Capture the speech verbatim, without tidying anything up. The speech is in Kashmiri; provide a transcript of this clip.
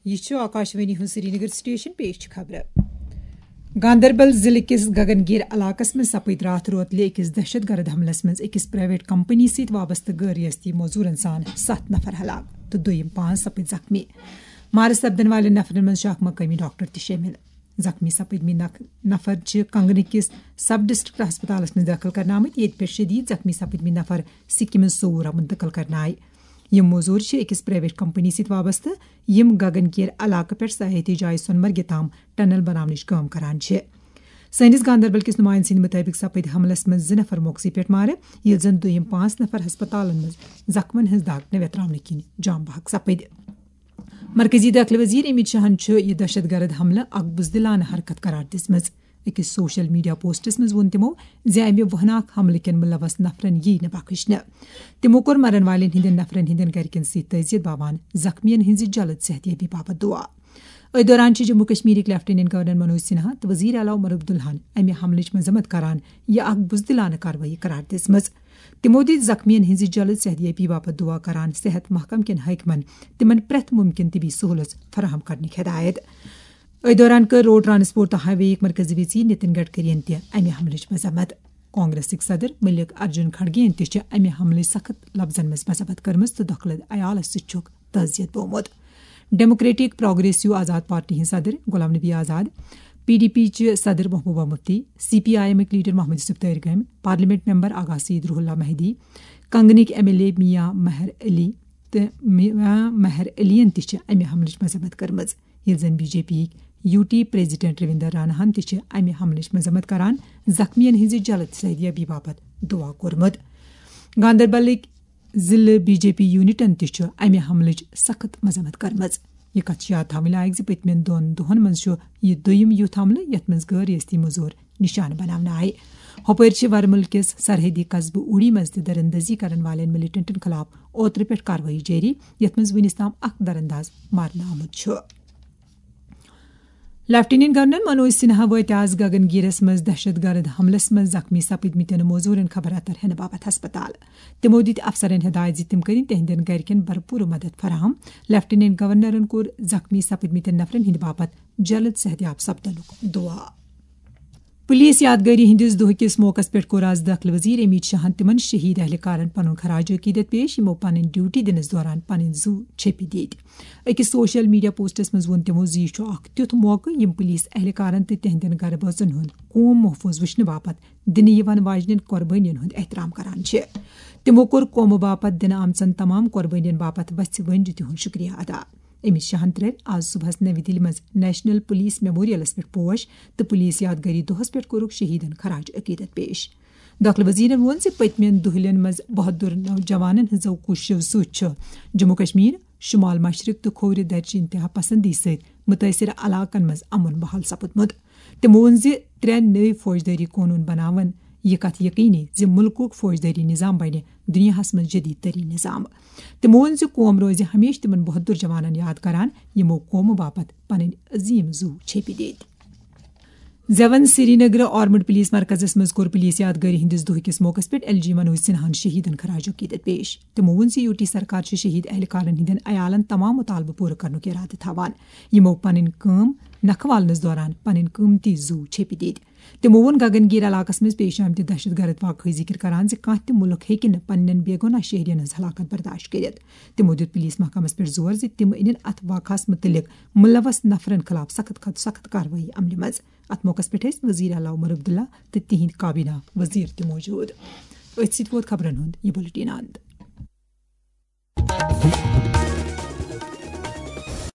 یہِ چھُ آکاشوانی ہُنٛد سرینگر سٹیشن، پیش چھِ خبرٕ۔ گاندربل ضلعہٕ کِس گگن گیر علاقس منٛز سپٕدۍ راتھ روتلہِ أکِس دہشت گرد حملس منٛز أکِس پرائیویٹ کمپنی سۭتۍ وابستہٕ غٲر ریاستی مزدورن سان ستھ نفر ہلاک تہٕ دوٚیِم پانٛژھ سپٕدۍ زخمی۔ مارٕ سپدن والٮ۪ن نفرن منٛز چھِ اکھ مقٲمی ڈاکٹر تہِ شٲمِل۔ زخمی سپٕدمٕتۍ نق-، نفر چھِ کنگنہٕ کِس سب ڈسٹرکٹ ہسپتالس منٛز دٲخل کرنہٕ آمٕتۍ، ییٚتہِ پٮ۪ٹھ شدید زخمی سپٕدمٕتۍ نفر سکمز صوورہ منتقل کرنہٕ آیہِ۔ یِم مزدور چھِ أکِس پرائیویٹ کمپنی سۭتۍ وابستہٕ، یِم گگن گیر علاقہٕ پٮ۪ٹھ سیاحتی جایہِ سۄنمرگہِ تام ٹنل بناونٕچ کٲم کران چھِ۔ سٲنِس گاندربل کِس نمائندٕ سٕنٛدِ مُطٲبِق سپٕدۍ حملس منٛز زٕ نفر موقعسٕے پٮ۪ٹھ مارٕ، ییٚلہِ زن دوٚیِم پانٛژھ نفر ہسپتالن منٛز زخمن ہٕنٛز دگ نویتراونہٕ کِنۍ جام بحق سپٕدۍ۔ مرکزی دٲخلہٕ وزیر امیت شاہن چھُ یہِ دہشت گرد حملہٕ اکھ بزدلانہٕ حرکت قرار دِژمٕژ۔ أکِس سوشل میڈیا پوسٹس منٛز ووٚن تِمو زِ امہِ وہناک حملہٕ کٮ۪ن ملوث نفرن ییہِ نہٕ بخشنہٕ۔ تِمو کوٚر مرن والٮ۪ن ہٕنٛدٮ۪ن نفرن ہٕنٛدٮ۪ن گرِکٮ۪ن سۭتۍ تعزیت باوان زخمیَن ہٕنٛزِ جلد صحت یابی باپتھ دعا۔ أتھۍ دوران چھِ جموں کشمیرٕکۍ لیفٹیننٹ گورنر منوج سنہا تہٕ وزیر اعلیٰ عمر عبداللہن امہِ حملٕچ مذمت کران یہِ اکھ بزدلانہٕ کاروٲیی قرار دِژمٕژ۔ تِمو دِتۍ زخمیَن ہٕنٛزِ جلد صحت یابی باپتھ دعا کران صحت محکمہٕ کٮ۪ن حٲکمَن تِمَن پرٛٮ۪تھ مُمکِن طبی سہوٗلژ فراہم کرنٕکۍ ہدایت۔ أتھۍ دوران کٔر روڈ ٹرانسپورٹ تہٕ ہائی وے یِکۍ مرکزی وزیر نتن گڈکری یَن تہِ امہِ حملٕچ مذمت۔ کانگریسٕکۍ صدر ملک ارجن کھڑگے یَن تہِ چھِ امہِ حملٕچ سخت لفظن منٛز مذمت کٔرمٕژ تہٕ دۄکھلہٕ عیالس سۭتۍ چھُکھ تعزیت بومُت۔ ڈیموکریٹک پروگریسو آزاد پارٹی ہٕنٛدۍ صدر Ghulam Nabi Azad, P D P چہِ صدر Mehbooba Mufti, C P I ایمٕکۍ لیڈر محمد یوسف تٲرۍ گٲمۍ، parliament member Aga Syed Ruhullah Mehdi, کنگنٕکۍ M L A Mian Mehar Ali تہٕ میاں مہر علی یَن تہِ چھِ امہِ حملٕچ مذمت کٔرمٕژ، ییٚلہِ زن بی جے پی یِکۍ U T president Ravinder Rana ہن تہِ چھِ امہِ حملٕچ مذمت کران زخمیَن ہٕنٛزِ جلد صحت یابی باپتھ دعا کوٚرمُت۔ گاندربلٕکۍ ضلعہٕ بی جے پی یونٹن تہِ چھُ امہِ حملٕچ سخت مذمت کٔرمٕژ۔ یہِ کتھ چھِ یاد تھاوٕنۍ لایق زِ پٔتمٮ۪ن دۄن دۄہن منٛز چھُ یہِ دوٚیِم یُتھ حملہٕ یتھ منٛز غٲر ریاستی مزدور نشانہٕ بناونہٕ آیہِ۔ ہۄپٲرۍ چھِ ورمُل کِس سرحدی قصبہٕ اوڑی منٛز تہِ درندزی کرن والٮ۪ن ملیٹنٹن خلاف اوترٕ پٮ۪ٹھ کاروٲیی جٲری، یتھ منٛز وُنِس تام اکھ درانداز مارنہٕ آمُت چھُ۔ لیفٹیننٹ گورنر منوج سنہا وٲتۍ آز گگن گیرس منٛز دہشت گرد حملس منٛز زخمی سپٕدمٕتٮ۪ن موزوٗرن خبر اتر ہینہٕ باپتھ ہسپتال۔ تِمو دِتۍ افسرن ہدایت زِ تِم کٔرِن تِہنٛدٮ۪ن گرِکٮ۪ن بھرپوٗر مدد فراہم۔ لیفٹیننٹ گورنرن کوٚر زخمی سپٕدمٕتٮ۪ن نفرن ہٕنٛدِ باپتھ جلد صحت یاب سپدنُک دعا۔ پولیس یادگٲری ہٕنٛدِس دۄہ کِس موقعس پٮ۪ٹھ کوٚر آز دٲخلہٕ وزیر امیت شاہن تِمن شہید اہلکارن پنُن خراج عقیدت پیش، یِمو پنٕنۍ ڈیوٹی دِنس دوران پنٕنۍ زُو چھپہِ دِتۍ۔ أکِس سوشل میڈیا پوسٹس منٛز ووٚن تِمو زِ یہِ چھُ اکھ تیُتھ موقعہٕ یِم پولیس اہلکارن تہٕ تِہنٛدٮ۪ن گرٕ بٲژن ہُنٛد قوم محفوظ وٕچھنہٕ باپتھ دِنہٕ یِوان واجنٮ۪ن قۄربٲنین ہُنٛد احترام کران چھِ۔ تِمو کوٚر قومہٕ باپتھ دِنہٕ آمژن تمام قۄربٲنین باپتھ وژھِ ؤنجہِ تِہُنٛد شُکریہ ادا۔ امیت شاہن ترٲوۍ آز صبحس نوِ دِلہِ منٛز نیشنل پولیس میموریلس پٮ۪ٹھ پوش تہٕ پولیس یادگٲری دۄہس پٮ۪ٹھ کوٚرُکھ شہیدن خراج عقیدت پیش۔ دٲخلہٕ وزیرن ووٚن زِ پٔتمٮ۪ن دۄہلٮ۪ن منٛز بہادُر نوجوانن ہٕنٛزو کوٗششو سۭتۍ چھُ جموں کشمیر، شمال مشرق تہٕ کھوورِ درچہِ انتہا پسندی سۭتۍ مُتٲثرٕ علاقن منٛز امن بحال سپُدمُت۔ تِمو ووٚن زِ ترٛےٚ نٔوۍ فوجدٲری قونوٗن بناون یہِ کتھ یقینی زِ مُلکُک فوجدٲری نظام بنہِ دُنیاہس منٛز جدید ترین نظام۔ تِمو ووٚن زِ قوم روزِ ہمیشہٕ تِمن بہادُر جوانن یاد کران، یِمو قومہٕ باپتھ پنٕنۍ عظیم زُو چھپہِ دِتۍ۔ زیون سرینگر آرمڈ پولیس مرکزس منٛز کوٚر پولیس یادگٲری ہٕنٛدِس دۄہ کِس موقعس پٮ۪ٹھ ایل جی منوج سنہاہن شہیدن خراج عقیدت پیش۔ تِمو ووٚن زِ یو ٹی سرکار چھِ شہید اہلکارن ہٕنٛدٮ۪ن عیالن تمام مطالبہٕ پوٗرٕ کرنُک ارادٕ تھاوان، یِمو پنٕنۍ کٲم نکھوالنس دوران پنٕنۍ قۭمتی زُو چھپہِ دِتۍ۔ تِمو ووٚن گگن گیر علاقس منٛز پیش آمتہِ دہشت گرد واقعہٕ ذکر کران زِ کانٛہہ تہِ مُلک ہیٚکہِ نہٕ پننٮ۪ن بے گۄناہ شہرین ہٕنٛز ہلاکت برداشت کٔرِتھ۔ تِمو دیُت پولیس محکمس پٮ۪ٹھ زور زِ تِم أنِن اتھ واقعس مُتعلق ملوث نفرن خلاف سخت کھۄتہٕ سخت کاروٲیی عملہِ منٛز۔ اتھ موقعس پٮ۪ٹھ ٲسۍ وزیر اعلیٰ عمر عبداللہ تہٕ تِہنٛدۍ کابینہ وزیر تہِ موجود۔ أتھۍ سۭتۍ ووت خبرن ہُنٛد یہِ بُلٹین اند۔